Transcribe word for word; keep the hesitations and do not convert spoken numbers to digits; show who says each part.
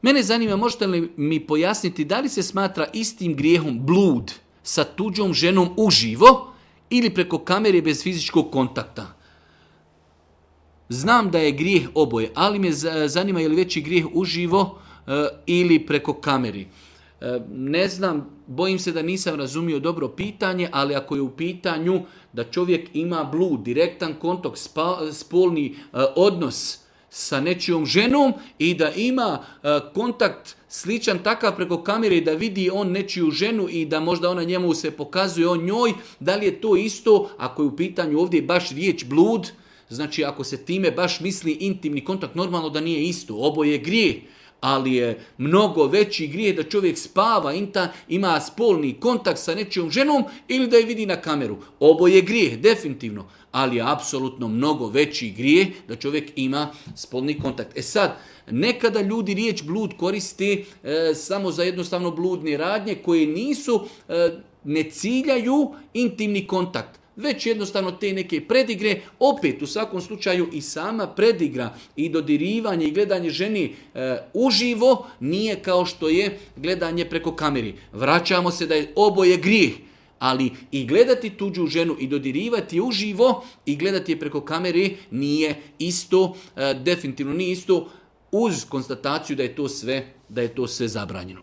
Speaker 1: Mene zanima, možete li mi pojasniti da li se smatra istim grijehom blud sa tuđom ženom uživo ili preko kamere bez fizičkog kontakta? Znam da je grijeh oboje, ali me zanima je li veći grijeh uživo e, ili preko kameri. E, ne znam, bojim se da nisam razumio dobro pitanje, ali ako je u pitanju da čovjek ima blud, direktan kontakt, spa, spolni e, odnos sa nečijom ženom i da ima e, kontakt sličan takav preko kamere da vidi on nečiju ženu i da možda ona njemu se pokazuje on njoj, da li je to isto ako je u pitanju ovdje baš riječ blud? Znači, ako se time baš misli intimni kontakt, normalno da nije isto. Oboje je grijeh, ali je mnogo veći grijeh da čovjek spava, inta, ima spolni kontakt sa nečijom ženom ili da je vidi na kameru. Oboje je grijeh, definitivno, ali je apsolutno mnogo veći grijeh da čovjek ima spolni kontakt. E sad, nekada ljudi riječ blud koriste e, samo za jednostavno bludne radnje koje nisu, e, ne ciljaju intimni kontakt, već jednostavno te neke predigre, opet u svakom slučaju i sama predigra i dodirivanje i gledanje ženi e, uživo nije kao što je gledanje preko kameri. Vraćamo se da je oboje grijeh, ali i gledati tuđu ženu i dodirivati uživo i gledati je preko kamere nije isto, e, definitivno nije isto, uz konstataciju da je to sve, da je to sve zabranjeno.